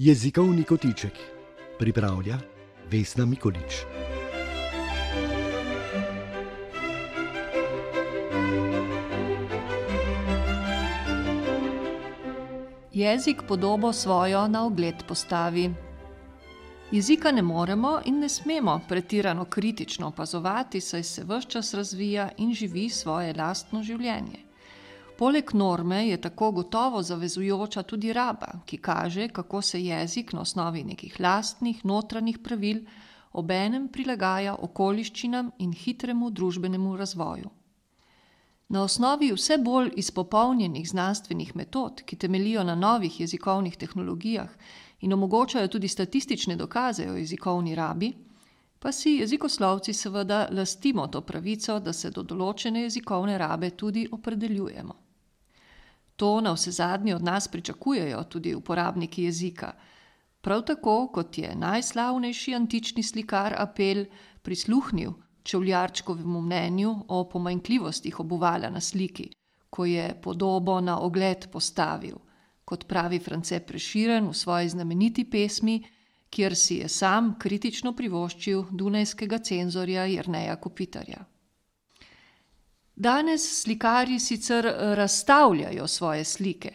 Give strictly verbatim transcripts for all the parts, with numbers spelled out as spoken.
Jezikovni kotiček pripravlja Vesna Mikolič. Jezik podobo svojo na ogled postavi. Jezika ne moremo in ne smemo pretirano kritično opazovati, saj se ves čas razvija in živi svoje lastno življenje. Poleg norme je tako gotovo zavezujoča tudi raba, ki kaže, kako se jezik na osnovi nekih lastnih notranjih pravil obenem prilagaja okoliščinam in hitremu družbenemu razvoju. Na osnovi vse bolj izpopolnjenih znanstvenih metod, ki temeljijo na novih jezikovnih tehnologijah in omogočajo tudi statistične dokaze o jezikovni rabi, pa si jezikoslovci seveda lastimo to pravico, da se do določene jezikovne rabe tudi opredeljujemo. To navsezadnje od nas pričakujejo tudi uporabniki jezika, prav tako kot je najslavnejši antični slikar Apel prisluhnil Čevljarčkovemu mnenju o pomanjkljivostih obuvala na sliki, ko je podobo na ogled postavil, kot pravi France Prešeren v svoji znameniti pesmi, kjer si je sam kritično privoščil dunajskega cenzorja Jerneja Kopitarja. Danes slikarji sicer razstavljajo svoje slike,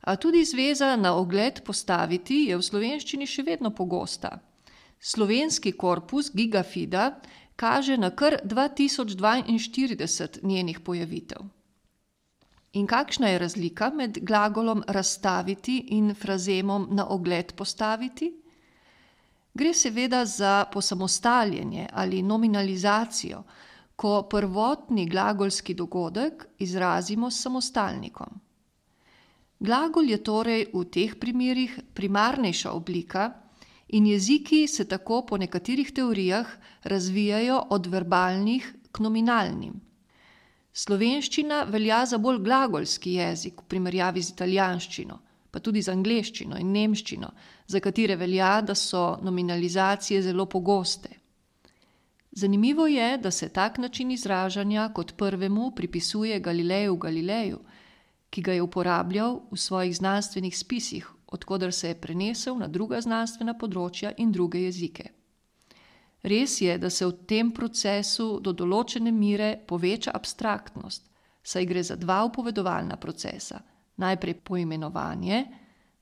a tudi zveza na ogled postaviti je v slovenščini še vedno pogosta. Slovenski korpus Gigafida kaže na kar dva tisoč dvainštirideset njenih pojavitev. In kakšna je razlika med glagolom razstaviti in frazemom na ogled postaviti? Gre seveda za posamostaljenje ali nominalizacijo, ko prvotni glagolski dogodek izrazimo s samostalnikom. Glagol je torej v teh primerih primarnejša oblika in jeziki se tako po nekaterih teorijah razvijajo od verbalnih k nominalnim. Slovenščina velja za bolj glagolski jezik v primerjavi z italijanščino, pa tudi z angleščino in nemščino, za katere velja, da so nominalizacije zelo pogoste. Zanimivo je, da se tak način izražanja kot prvemu pripisuje Galileju Galileju, ki ga je uporabljal v svojih znanstvenih spisih, od koder se je prenesel na druga znanstvena področja in druge jezike. Res je, da se v tem procesu do določene mere poveča abstraktnost, saj gre za dva upovedovalna procesa. Najprej poimenovanje,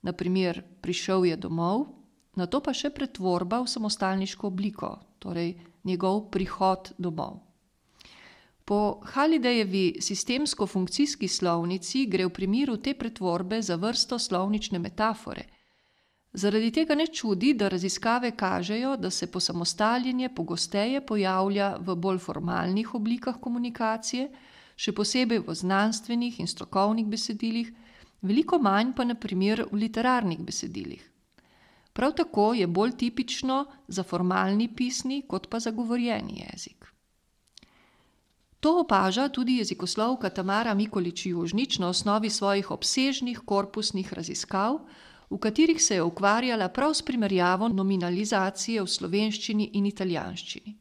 na primer prišel je domov, nato pa še pretvorba v samostalniško obliko, torej njegov prihod domov. Po Hallidayevi sistemsko-funkcijski slovnici gre v primeru te pretvorbe za vrsto slovnične metafore. Zaradi tega ne čudi, da raziskave kažejo, da se posamostaljenje pogosteje pojavlja v bolj formalnih oblikah komunikacije, še posebej v znanstvenih in strokovnih besedilih, veliko manj pa na primer v literarnih besedilih. Prav tako je bolj tipično za formalni pisni kot pa za govorjeni jezik. To opaža tudi jezikoslovka Tamara Mikolič Južnič na osnovi svojih obsežnih korpusnih raziskav, v katerih se je ukvarjala prav s primerjavo nominalizacije v slovenščini in italijanščini.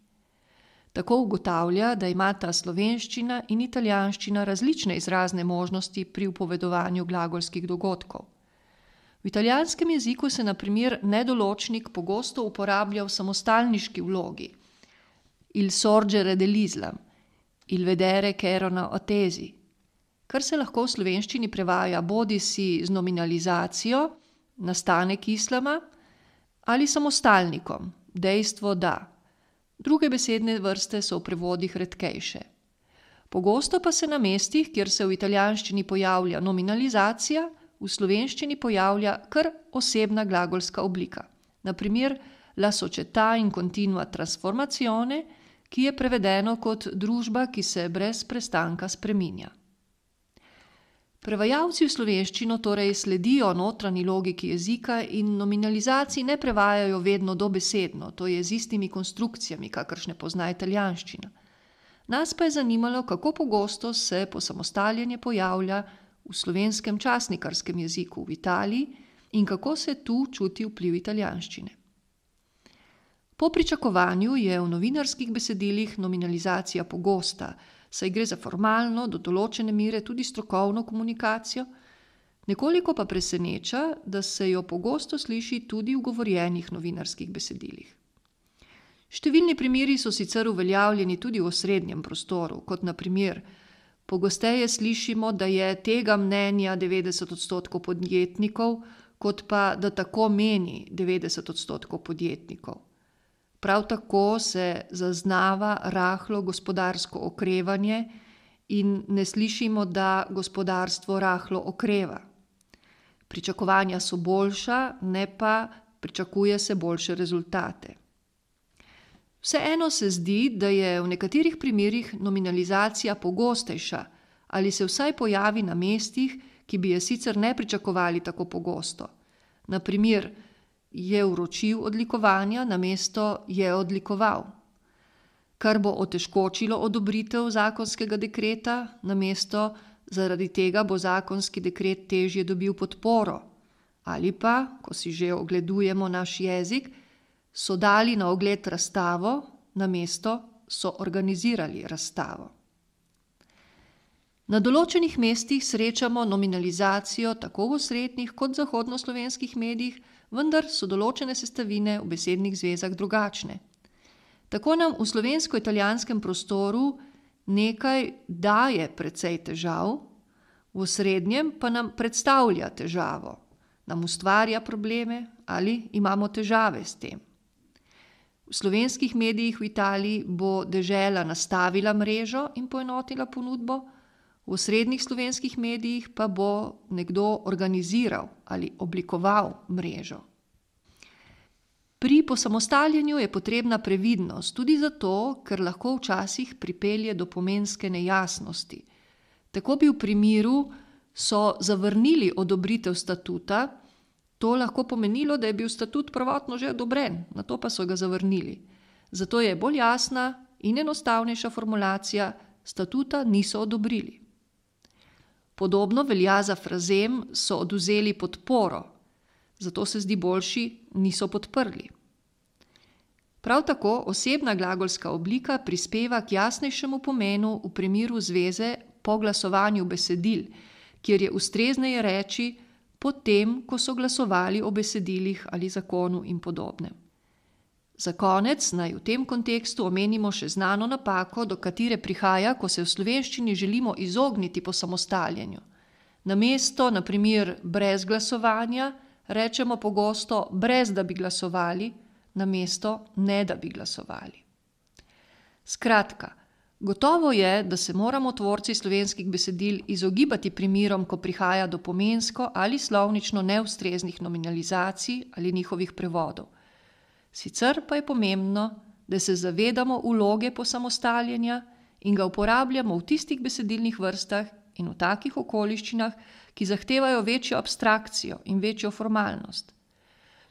Tako ugotavlja, da imata slovenščina in italijanščina različne izrazne možnosti pri upovedovanju glagolskih dogodkov. V italijanskem jeziku se na primer nedoločnik pogosto uporablja v samostalniški vlogi. Il sorgere dell'Islam, il vedere che erano attesi, kar se lahko v slovenščini prevaja bodisi z nominalizacijo, nastanek islama, ali samostalnikom, dejstvo da. Druge besedne vrste so v prevodih redkejše. Pogosto pa se na mestih, kjer se v italijanščini pojavlja nominalizacija, v slovenščini pojavlja kar osebna glagolska oblika. Na primer, la società in continua trasformazione, ki je prevedeno kot družba, ki se brez prestanka spreminja. Prevajalci v slovenščino torej sledijo notranji logiki jezika in nominalizaciji ne prevajajo vedno dobesedno, to je z istimi konstrukcijami, kakršne pozna italijanščina. Nas pa je zanimalo, kako pogosto se posamostaljenje pojavlja v slovenskem časnikarskem jeziku v Italiji in kako se tu čuti vpliv italijanščine. Po pričakovanju je v novinarskih besedilih nominalizacija pogosta, saj gre za formalno, do določene mere tudi strokovno komunikacijo, Nekoliko pa preseneča, da se jo pogosto sliši tudi v govorjenih novinarskih besedilih. Številni primeri so sicer uveljavljeni tudi v osrednjem prostoru, kot na primer, pogosteje slišimo, da je tega mnenja devetdeset odstotkov podjetnikov, kot pa, da tako meni devetdeset odstotkov podjetnikov. Prav tako se zaznava rahlo gospodarsko okrevanje in ne slišimo, da gospodarstvo rahlo okreva. Pričakovanja so boljša, ne pa pričakuje se boljše rezultate. Vseeno se zdi, da je v nekaterih primerih nominalizacija pogostejša ali se vsaj pojavi na mestih, ki bi je sicer ne pričakovali tako pogosto. Na primer, je vročil odlikovanja, namesto je odlikoval. Kar bo otežkočilo odobritev zakonskega dekreta, namesto zaradi tega bo zakonski dekret težje dobil podporo. Ali pa, ko si že ogledujemo naš jezik, so dali na ogled razstavo, namesto so organizirali razstavo. Na določenih mestih srečamo nominalizacijo tako v osrednjih kot zahodnoslovenskih medijih, vendar so določene sestavine v besednih zvezah drugačne. Tako nam v slovensko-italijanskem prostoru nekaj daje precej težav, v osrednjem pa nam predstavlja težavo, nam ustvarja probleme ali imamo težave s tem. V slovenskih medijih v Italiji bo dežela nastavila mrežo in poenotila ponudbo, v osrednjih slovenskih medijih pa bo nekdo organiziral ali oblikoval mrežo. Pri posamostaljenju je potrebna previdnost tudi zato, ker lahko včasih pripelje do pomenske nejasnosti. Tako bi v primeru so zavrnili odobritev statuta, to lahko pomenilo, da je bil statut prvotno že odobren, nato pa so ga zavrnili. Zato je bolj jasna in enostavnejša formulacija, statuta niso odobrili. Podobno velja za frazem so odvzeli podporo, zato se zdi boljši niso podprli. Prav tako osebna glagolska oblika prispeva k jasnejšemu pomenu v primeru zveze po glasovanju besedil, kjer je ustrezneje reči potem, ko so glasovali o besedilih ali zakonu in podobnem. Za konec naj v tem kontekstu omenimo še znano napako, do katere prihaja, ko se v slovenščini želimo izogniti posamostaljenju. Namesto, na primer, brez glasovanja, rečemo pogosto brez da bi glasovali, namesto ne da bi glasovali. Skratka, gotovo je, da se moramo tvorci slovenskih besedil izogibati primerom, ko prihaja do pomensko ali slovnično neustreznih nominalizacij ali njihovih prevodov. Sicer pa je pomembno, da se zavedamo vloge posamostaljenja in ga uporabljamo v tistih besedilnih vrstah in v takih okoliščinah, ki zahtevajo večjo abstrakcijo in večjo formalnost.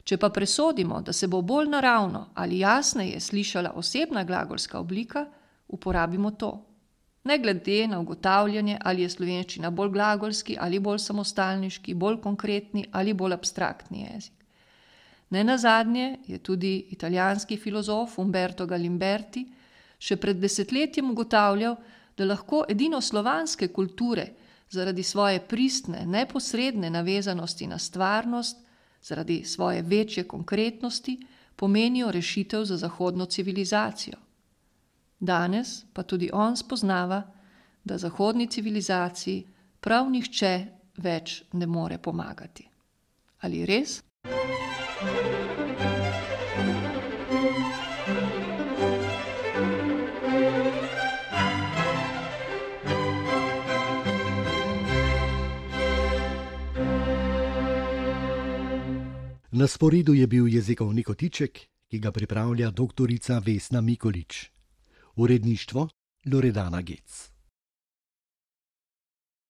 Če pa presodimo, da se bo bolj naravno ali jasneje slišala osebna glagolska oblika, uporabimo to. Ne glede na ugotavljanje, ali je slovenščina bolj glagolski ali bolj samostalniški, bolj konkretni ali bolj abstraktni jezik. Nenazadnje je tudi italijanski filozof Umberto Galimberti še pred desetletjem ugotavljal, da lahko edino slovanske kulture zaradi svoje pristne, neposredne navezanosti na stvarnost, zaradi svoje večje konkretnosti, pomenijo rešitev za zahodno civilizacijo. Danes pa tudi on spoznava, da zahodni civilizaciji prav nihče več ne more pomagati. Ali res? Na sporedu je bil jezikovni kotiček, ki ga pripravlja doktorica Vesna Mikolič. Uredništvo Loredana Gec.